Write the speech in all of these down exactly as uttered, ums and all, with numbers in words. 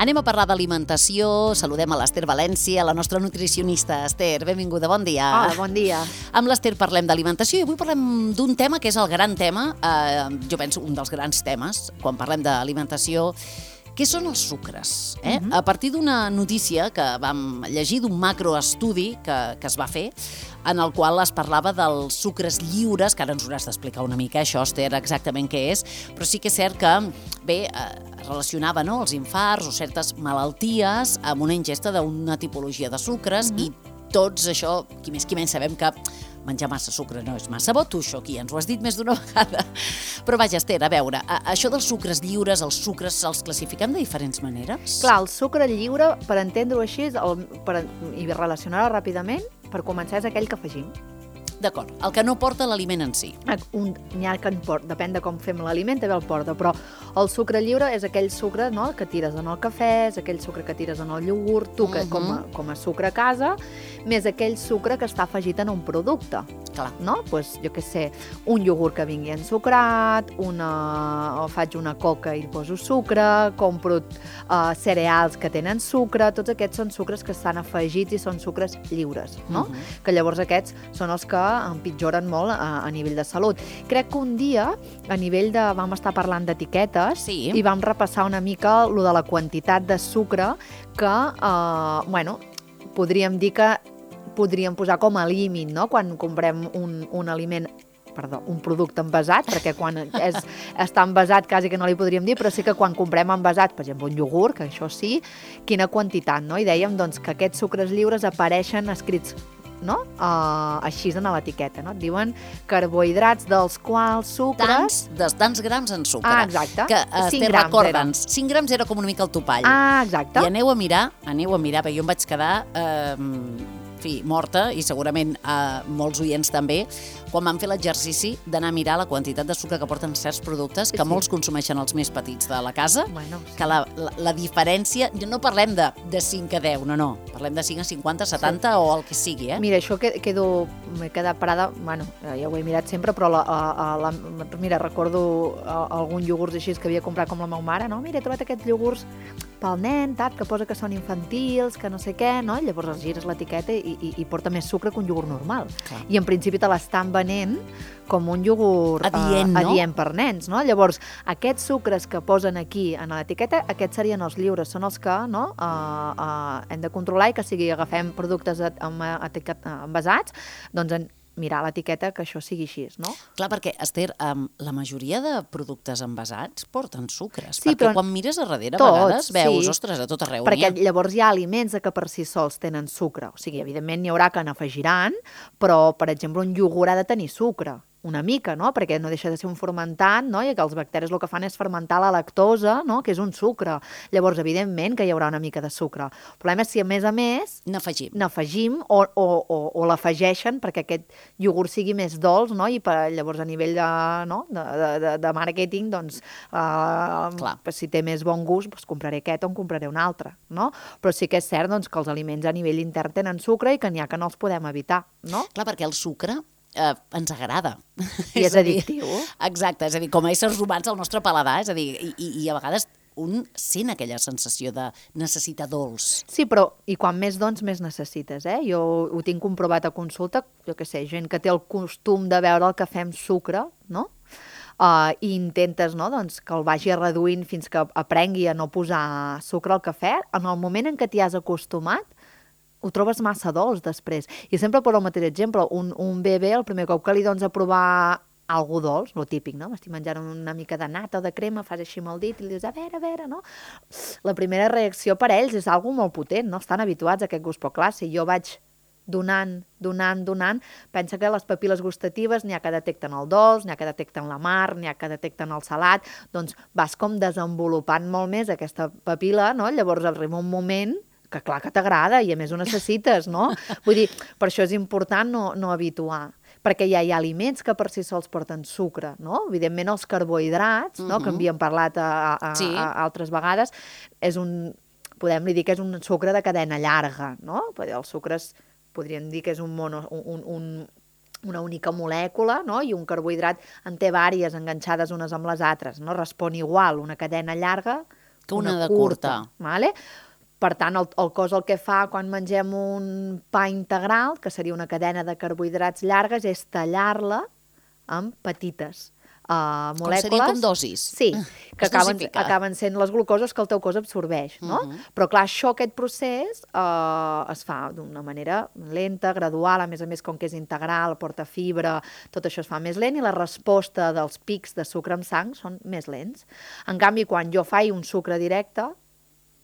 Anem a parlar d'alimentació, saludem a l'Ester València, la nostra nutricionista. Ester, benvinguda, bon dia. Hola, bon dia. Amb l'Ester parlem d'alimentació i avui parlem d'un tema que és el gran tema, eh, jo penso un dels grans temes, quan parlem d'alimentació, què són els sucres? Eh? Uh-huh. A partir d'una notícia que vam llegir d'un macroestudi que, que es va fer, en el qual es parlava dels sucres lliures, que ara ens hauràs d'explicar una mica això, Esther, exactament què és, però sí que és cert que, bé, eh, relacionava no, els infarts o certes malalties amb una ingesta d'una tipologia de sucres uh-huh. i tots això, qui més qui menys sabem que menjar massa sucre no és massa bo, tu això aquí ens ho has dit més d'una vegada. Però vaja, Esther, a veure, això dels sucres lliures, els sucres els classifiquem de diferents maneres? Clar, el sucre lliure, per entendre-ho així, el, per, i relacionar-ho ràpidament, per començar és aquell que afegim. D'acord, el que no porta l'aliment en si. Un, n'hi ha que en porta, depèn de com fem l'aliment, també el porta, però el sucre lliure és aquell sucre no, que tires en el cafè, és aquell sucre que tires en el iogurt, tu que, uh-huh. com, a, com a sucre a casa, més aquell sucre que està afegit en un producte. Clar. No? Pues, jo què sé, un iogurt que vingui ensucrat, una, o faig una coca i hi poso sucre, compro uh, cereals que tenen sucre, tots aquests són sucres que estan afegits i són sucres lliures, no? Uh-huh. Que llavors aquests són els que empitjoren molt a, a nivell de salut. Crec que un dia, a nivell de... vam estar parlant d'etiquetes sí. i vam repassar una mica lo de la quantitat de sucre que, uh, bueno, podríem dir que podríem posar com a límit, no?, quan comprem un, un aliment, perdó, un producte envasat, perquè quan és, està envasat quasi que no li podríem dir, però sí que quan comprem envasat, per exemple, un iogurt, que això sí, quina quantitat, no? I dèiem, doncs, que aquests sucres lliures apareixen escrits, no?, uh, així en l'etiqueta, no? Et diuen carbohidrats dels quals sucres... Tants, de tants grams en sucre. Ah, exacte. Que, Esther, recorda'ns, cinc grams era com una mica el topall. Ah, exacte. I aneu a mirar, aneu a mirar, perquè jo em vaig quedar... Eh, fi, morta, i segurament eh, molts oients també, quan vam fer l'exercici d'anar a mirar la quantitat de sucre que porten certs productes, que sí. molts consumeixen els més petits de la casa, bueno, sí. que la, la, la diferència, no parlem de, de cinc a deu, no, no, parlem de cinc a cinquanta, setanta sí. o el que sigui, eh? Mira, això quedo, m'he quedat parada, bueno, ja ho he mirat sempre, però la, a, a, la, mira, recordo a, algun iogurts així que havia comprat com la meva mare, no? Mira, he trobat aquests iogurts pel nen, tat, que posa que són infantils, que no sé què, no? I llavors els gires l'etiqueta i, i, i porta més sucre que un iogurt normal. Clar. I en principi te l'estan venent com un iogurt adient, uh, no? adient per nens, no? Llavors, aquests sucres que posen aquí en l'etiqueta, aquests serien els lliures, són els que no, uh, uh, hem de controlar i que sigui agafem productes envasats, doncs en mirar l'etiqueta que això sigui així, no? Clar, perquè, Esther, um, la majoria de productes envasats porten sucres, sí, perquè però quan mires a darrere tots, a vegades veus, sí. ostres, a tot arreu perquè n'hi ha. Llavors hi ha aliments que per si sols tenen sucre, o sigui, evidentment n'hi haurà que n'afegiran, però, per exemple, un iogurt ha de tenir sucre, una mica, no? Perquè no deixa de ser un fermentant, no? I que els bacteris el que fan és fermentar la lactosa, no? Que és un sucre. Llavors, evidentment, que hi haurà una mica de sucre. El problema és si, a més a més, n'afegim, n'afegim o, o, o, o l'afegeixen perquè aquest iogurt sigui més dolç, no? I per, llavors, a nivell de, no? de, de, de màrqueting, doncs, uh, si té més bon gust, doncs compraré aquest o en compraré un altre, no? Però sí que és cert doncs, que els aliments a nivell intern tenen sucre i que n'hi ha que no els podem evitar, no? Clar, perquè el sucre eh, ens agrada. I és, és addictiu. Dir, exacte, és a dir, com a éssers humans el nostre paladar, és a dir, i, i, i a vegades un sent aquella sensació de necessitar dolç. Sí, però i quan més dons, més necessites, eh? Jo ho tinc comprovat a consulta, jo què sé, gent que té el costum de beure el cafè amb sucre, no? Uh, i intentes no, doncs, que el vagi reduint fins que aprengui a no posar sucre al cafè, en el moment en què t'hi has acostumat, ho trobes massa dolç després. I sempre per el mateix exemple, un, un bebè, el primer cop que li dones a provar algú dolç, lo típic, no? M'estic menjant una mica de nata o de crema, fas així amb el dit i li dius, a veure, a veure, no? La primera reacció per ells és algo molt potent, no? Estan habituats a aquest gust, però clar, si jo vaig donant, donant, donant, pensa que les papil·les gustatives n'hi ha que detecten el dolç, n'hi ha que detecten la mar, n'hi ha que detecten el salat, doncs vas com desenvolupant molt més aquesta papil·la, no? Llavors arriba un moment que clar que t'agrada i a més ho necessites, no? Vull dir, per això és important no, no habituar, perquè ja hi ha aliments que per si sols porten sucre, no? Evidentment els carbohidrats, no? Uh-huh. Que havíem parlat a, a, sí. a, a altres vegades, és un, podem dir que és un sucre de cadena llarga, no? Perquè els sucres podríem dir que és un mono, un, un, una única molècula, no? I un carbohidrat en té vàries enganxades unes amb les altres, no? Respon igual una cadena llarga Que una de curta. Vale? Per tant, el, el cos el que fa quan mengem un pa integral, que seria una cadena de carbohidrats llargues, és tallar-la en petites uh, molècules. Com seria com dosis? Sí, que acaben, acaben sent les glucoses que el teu cos absorbeix, no? Uh -huh. Però clar, això, aquest procés, uh, es fa d'una manera lenta, gradual, a més a més, com que és integral, porta fibra, tot això es fa més lent i la resposta dels pics de sucre en sang són més lents. En canvi, quan jo faig un sucre directe,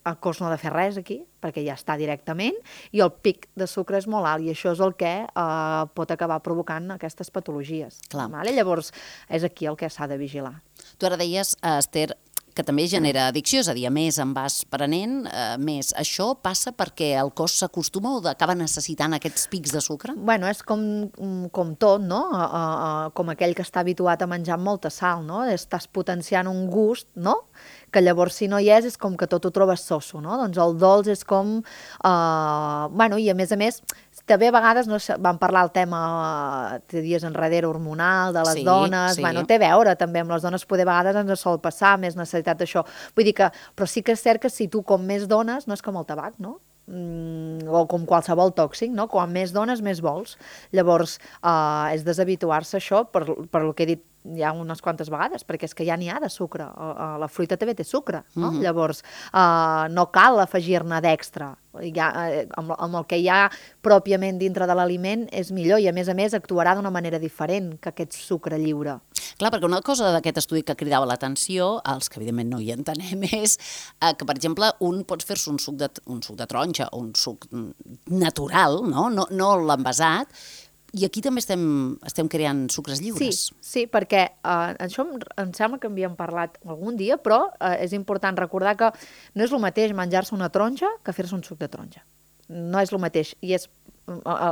el cos no ha de fer res aquí, perquè ja està directament, i el pic de sucre és molt alt, i això és el que eh, pot acabar provocant aquestes patologies. Vale? Llavors, és aquí el que s'ha de vigilar. Tu ara deies, Esther, que també genera addicció, és a dir, a més en vas prenent, eh, més. Això passa perquè el cos s'acostuma o acaba necessitant aquests pics de sucre? Bueno, és com, com tot, no? Uh, uh, com aquell que està habituat a menjar amb molta sal, no? Estàs potenciant un gust, no?, que llavors si no hi és, és com que tot ho trobes soso, no? Doncs el dolç és com... Uh, bueno, i a més a més, també a vegades no, vam parlar el tema de dies enrere hormonal, de les sí, dones, sí. Bueno, té a veure també amb les dones, poder a vegades ens sol passar més necessitat d'això. Vull dir que, però sí que és cert que si tu com més dones, no és com el tabac, no? Mm, o com qualsevol tòxic, no? Quan més dones, més vols. Llavors, uh, és deshabituar-se això per, per el que he dit ja unes quantes vegades, perquè és que ja n'hi ha de sucre. Uh, la fruita també té sucre, no? Mm-hmm. Llavors, uh, no cal afegir-ne d'extra. Ja, uh, amb, amb el que hi ha pròpiament dintre de l'aliment és millor i, a més a més, actuarà d'una manera diferent que aquest sucre lliure. Clar, perquè una cosa d'aquest estudi que cridava l'atenció, els que evidentment no hi entenem, és eh, que, per exemple, un pots fer-se un, suc de, un suc de taronja o un suc natural, no, no, no l'envasat, i aquí també estem, estem creant sucres lliures. Sí, sí, perquè uh, això em, em sembla que havíem parlat algun dia, però uh, és important recordar que no és el mateix menjar-se una taronja que fer-se un suc de taronja. No és el mateix, i és,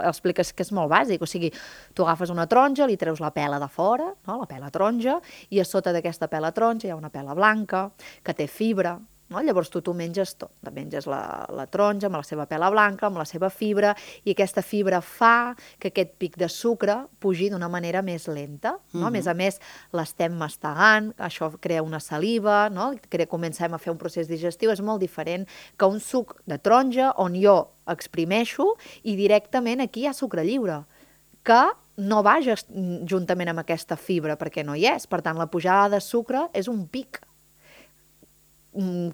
expliques que és molt bàsic, o sigui, tu agafes una taronja, li treus la pela de fora, no? La pela taronja, i a sota d'aquesta pela taronja hi ha una pela blanca que té fibra, no? Llavors tu t'ho menges tot, te menges la, la taronja amb la seva pela blanca, amb la seva fibra, i aquesta fibra fa que aquest pic de sucre pugi d'una manera més lenta, no? Uh-huh. A més a més, l'estem mastegant, això crea una saliva, no? Crea, comencem a fer un procés digestiu, és molt diferent que un suc de taronja on jo exprimeixo i directament aquí hi ha sucre lliure, que no va juntament amb aquesta fibra perquè no hi és, per tant la pujada de sucre és un pic,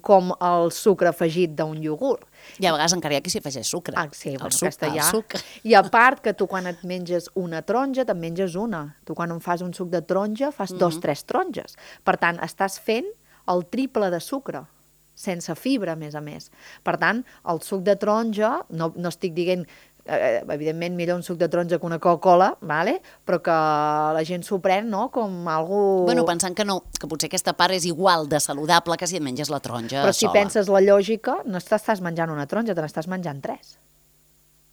com el sucre afegit d'un iogurt. I a vegades encara hi ha qui s'hi afegeix sucre. Ah, sí, bueno, el suc, aquesta el ja. suc. I a part que tu quan et menges una taronja, te'n menges una. Tu quan em fas un suc de taronja, fas mm-hmm. dos, tres taronges. Per tant, estàs fent el triple de sucre, sense fibra, a més a més. Per tant, el suc de taronja, no, no estic dient... Eh, evidentment millor un suc de taronja que una Coca-Cola, vale? Però que la gent s'ho pren, no?, com algú... Bueno, pensant que no, que potser aquesta part és igual de saludable que si et menges la taronja sola. Però si penses la lògica, no estàs menjant una taronja, te n'estàs menjant tres,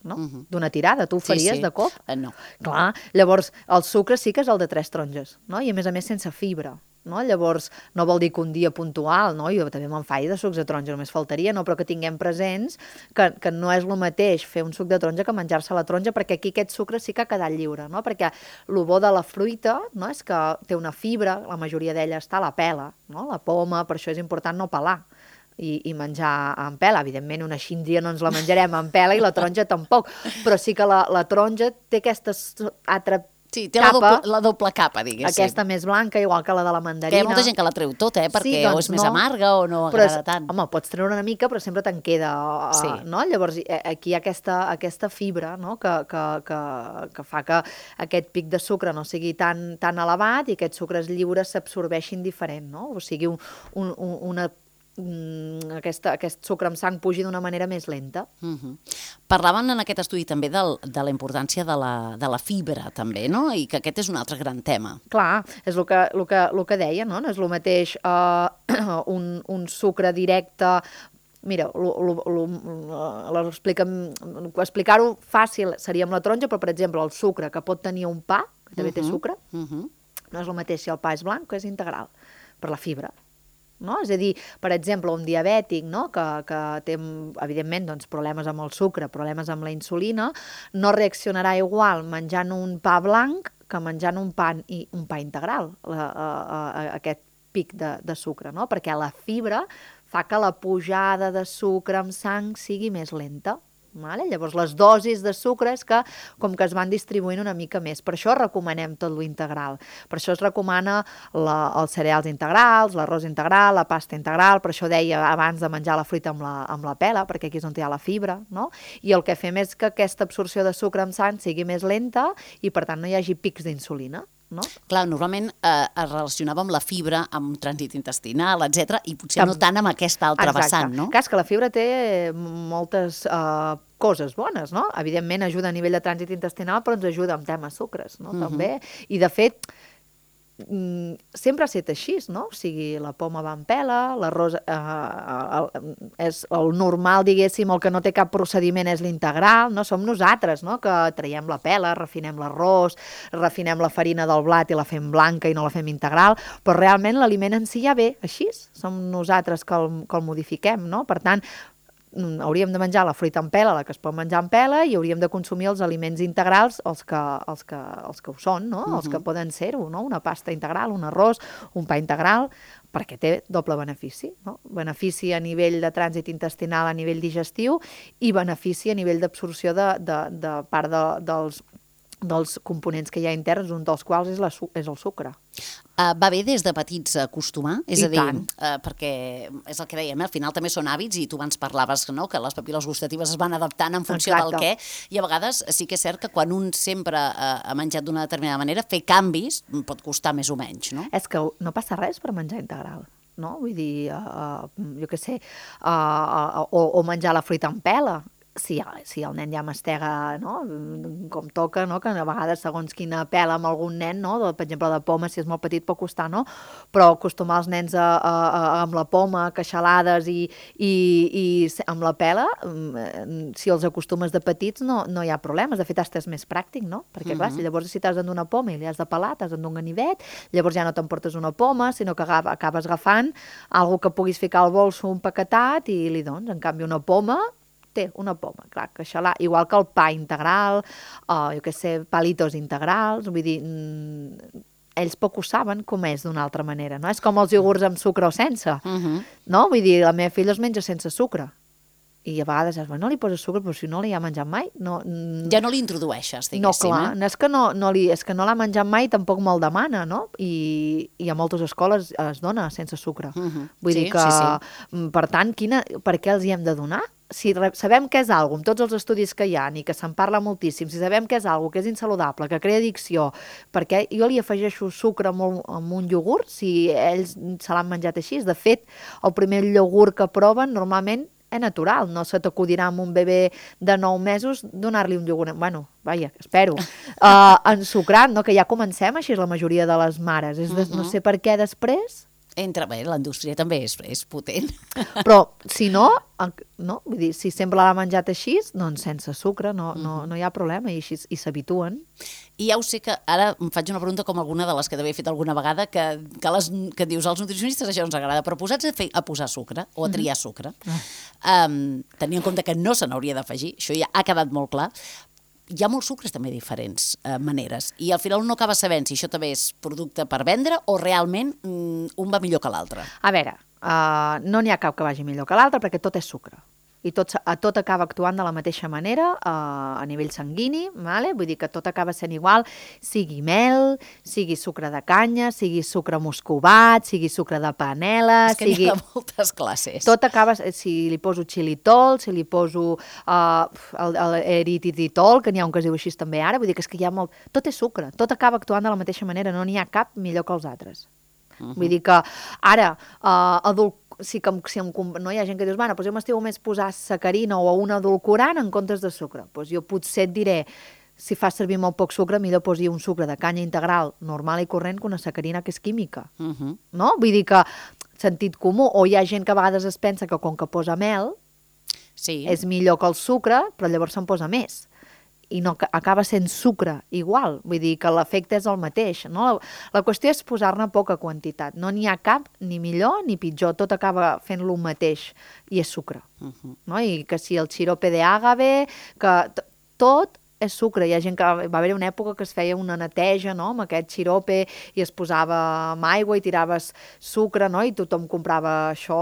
no? Uh-huh. D'una tirada, tu ho faries sí, sí. de cop? Uh, no. Clar, llavors el sucre sí que és el de tres taronges, no? I a més a més sense fibra. No? Llavors, no vol dir que un dia puntual, no? Jo també me'n faig de sucs de taronja, només faltaria, no? Però que tinguem presents que, que no és el mateix fer un suc de taronja que menjar-se la taronja, perquè aquí aquest sucre sí que ha quedat lliure, no? Perquè el bo de la fruita, no? És que té una fibra, la majoria d'ella està a la pela, no? La poma, per això és important no pelar i, i menjar amb pela. Evidentment, una xíndria no ens la menjarem amb pela i la taronja tampoc, però sí que la, la taronja té aquesta altra Sí, té capa, la, doble, la doble capa, diguéssim. Aquesta més blanca, igual que la de la mandarina. Que hi ha molta gent que la treu tota, eh? Perquè sí, doncs o és més no. amarga o no però agrada és, tant. Home, pots treure una mica, però sempre te'n queda, sí. no? Llavors, aquí hi ha aquesta, aquesta fibra, no? que, que, que, que fa que aquest pic de sucre no sigui tan, tan elevat i aquests sucres lliures s'absorbeixin diferent, no? O sigui, un, un, una Aquesta, aquest sucre amb sang pugi d'una manera més lenta. Uh-huh. Parlaven en aquest estudi també del, de la importància de la, de la fibra també, no? I que aquest és un altre gran tema. Clar, és el que, el que, el que deia, no? No és el mateix uh, un, un sucre directe. Mira, explicar-ho fàcil seria amb la taronja, però per exemple el sucre que pot tenir un pa, que també uh-huh. té sucre, uh-huh. no és el mateix si el pa és blanc que és integral, per la fibra. No? És a dir, per exemple, un diabètic, no? que, que té, evidentment, doncs, problemes amb el sucre, problemes amb la insulina, no reaccionarà igual menjant un pa blanc que menjant un pa, i, un pa integral, la, a, a, a aquest pic de, de sucre, no? Perquè la fibra fa que la pujada de sucre amb sang sigui més lenta. Vale? Llavors, les dosis de sucre és que com que es van distribuint una mica més. Per això recomanem tot lo integral. Per això es recomana la, els cereals integrals, l'arròs integral, la pasta integral, per això deia abans de menjar la fruita amb la, amb la pela, perquè aquí és on hi ha la fibra, no? I el que fem és que aquesta absorció de sucre amb sang sigui més lenta i, per tant, no hi hagi pics d'insulina. No? Clar, normalment eh, es relacionava amb la fibra, amb trànsit intestinal, etcètera, i potser no tant amb aquesta altra Exacte. vessant, no? Clar, és que la fibra té moltes uh, coses bones, no? Evidentment ajuda a nivell de trànsit intestinal, però ens ajuda amb temes sucres, no? Uh-huh. També. I, de fet, mm, sempre ha estat així, no? O sigui, la poma va en pela, l'arròs eh, el, és el normal, diguéssim, el que no té cap procediment és l'integral, no? Som nosaltres, no? Que traiem la pela, refinem l'arròs, refinem la farina del blat i la fem blanca i no la fem integral, però realment l'aliment en si ja ve així, som nosaltres que el, que el modifiquem, no? Per tant, hauríem de menjar la fruita en pela, la que es pot menjar en pela, i hauríem de consumir els aliments integrals, els que, els que, els que ho són, no? Uh-huh. Els que poden ser-ho, no? Una pasta integral, un arròs, un pa integral, perquè té doble benefici, no? Benefici a nivell de trànsit intestinal, a nivell digestiu, i benefici a nivell d'absorció de, de, de part de, dels, dels components que hi ha interns, un dels quals és, la, és el sucre. Uh, va bé des de petits acostumar? És I a dir, tant. uh, perquè és el que dèiem, eh? Al final també són hàbits i tu abans parlaves, no?, que les papil·les gustatives es van adaptant en funció Exacte. del què, i a vegades sí que és cert que quan un sempre uh, ha menjat d'una determinada manera, fer canvis pot costar més o menys, no? És que no passa res per menjar integral, no? Vull dir, uh, jo què sé, uh, uh, o, o menjar la fruita en pela. Si, si el nen ja mastega, no? Com toca, no? Que a vegades segons quina pela amb algun nen, no? De, per exemple, de poma, si és molt petit pot costar, no? Però acostumar els nens a, a, a, amb la poma, queixalades i, i, i amb la pela, si els acostumes de petits no, no hi ha problemes. De fet, és més pràctic, no? Perquè, clar, si llavors si t'has d'endur una poma i li has de pelar, t'has d'endur un ganivet, llavors ja no t'emportes una poma, sinó que acabes agafant algo que puguis ficar al bolso empaquetat i li dones. En canvi, una poma té una poma, clar, que xalar, igual que el pa integral, o jo què sé, palitos integrals, vull dir, mmm, ells poc ho saben com és d'una altra manera, no? És com els iogurts amb sucre o sense, Uh-huh. no? Vull dir, la meva filla els menja sense sucre, i a vegades dius, no li poses sucre, però si no li ha menjat mai, no... Ja no li introdueixes, diguéssim. No, clar, eh? no és que no, no li, és que no l'ha menjat mai, tampoc me'l demana, no? I, i a moltes escoles es dona sense sucre. Uh-huh. Vull Sí, dir que, sí, sí. per tant, quina, per què els hi hem de donar? Si re, sabem que és algo, amb tots els estudis que hi ha i que se'n parla moltíssim, si sabem que és algo que és insaludable, que crea addicció, perquè jo li afegeixo sucre amb un, amb un iogurt si ells se l'han menjat així. De fet, el primer iogurt que proven normalment és natural, no se t'acudirà amb un bebè de nou mesos donar-li un iogurt, bueno, vaja, espero, uh, ensucrat, no? Que ja comencem així la majoria de les mares, és de, no sé per què després... Entra bé, la indústria també és, és potent. Però, si no, no, vull dir, si sempre l'ha menjat així, doncs sense sucre, no, no, no hi ha problema, i així i s'habituen. I ja ho sé que ara em faig una pregunta com alguna de les que t'havia fet alguna vegada, que, que, les, que dius als nutricionistes això ens agrada, però posats a, fer, a posar sucre o a triar sucre, um, tenint en compte que no se n'hauria d'afegir, això ja ha quedat molt clar, hi ha molts sucres també diferents eh, maneres, i al final un no acaba sabent si això també és producte per vendre o realment mm, un va millor que l'altre. A veure, uh, no n'hi ha cap que vagi millor que l'altre perquè tot és sucre. I tot, tot acaba actuant de la mateixa manera uh, a nivell sanguini, vale? Vull dir que tot acaba sent igual, sigui mel, sigui sucre de canya, sigui sucre muscovat, sigui sucre de panela... És que sigui... n'hi ha moltes classes. Tot acaba, si li poso xilitol, si li poso uh, el, el eritritol, que n'hi ha un que es diu així també ara, vull dir que és que hi ha molt... Tot és sucre, tot acaba actuant de la mateixa manera, no n'hi ha cap millor que els altres. Uh-huh. Vull dir que ara, uh, adult sí que si em, no hi ha gent que dius, bueno, doncs jo m'estimo més posar sacarina o un edulcorant en comptes de sucre. Doncs jo potser et diré, si fas servir molt poc sucre, millor posi un sucre de canya integral normal i corrent que una sacarina que és química. Uh-huh. No? Vull dir que sentit comú, o hi ha gent que a vegades es pensa que com que posa mel sí. és millor que el sucre, però llavors se'n posa més. I no, acaba sent sucre igual, vull dir que l'efecte és el mateix, no? La, la qüestió és posar-ne poca quantitat, no n'hi ha cap ni millor ni pitjor, tot acaba fent lo mateix i és sucre, uh-huh. no? I que si el xirope de àgave, que tot és sucre. Hi ha gent que va haver una època que es feia una neteja, no?, amb aquest xirope i es posava amb aigua i tiraves sucre, no?, i tothom comprava això.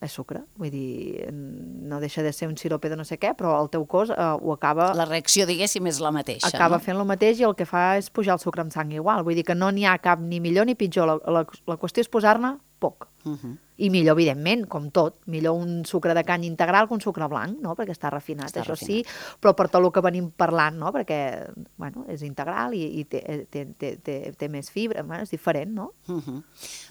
És sucre, vull dir, no deixa de ser un xirope de no sé què, però el teu cos eh, ho acaba... La reacció, diguéssim, és la mateixa, Acaba no? fent el mateix i el que fa és pujar el sucre amb sang igual. Vull dir que no n'hi ha cap ni millor ni pitjor. La, la, la qüestió és posar-ne poc. Uh -huh. I millor, evidentment, com tot. Millor un sucre de canya integral que un sucre blanc, no?, perquè està refinat, està això refinat. Sí, però per tot el que venim parlant, no?, perquè, bueno, és integral i, i té, té, té, té, té més fibra, bueno, és diferent, no? Uh -huh.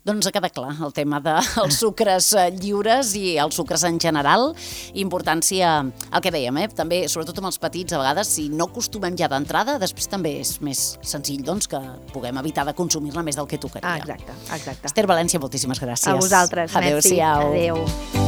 Doncs ha quedat clar el tema dels sucres lliures i els sucres en general. Importància, el que dèiem, eh? També, sobretot amb els petits, a vegades, si no acostumem ja d'entrada, després també és més senzill, doncs, que puguem evitar de consumir-ne més del que tocaria. Ah, exacte, exacte. Esther València, moltíssimes gràcies. A vosaltres. Adéu-siau. Adéu.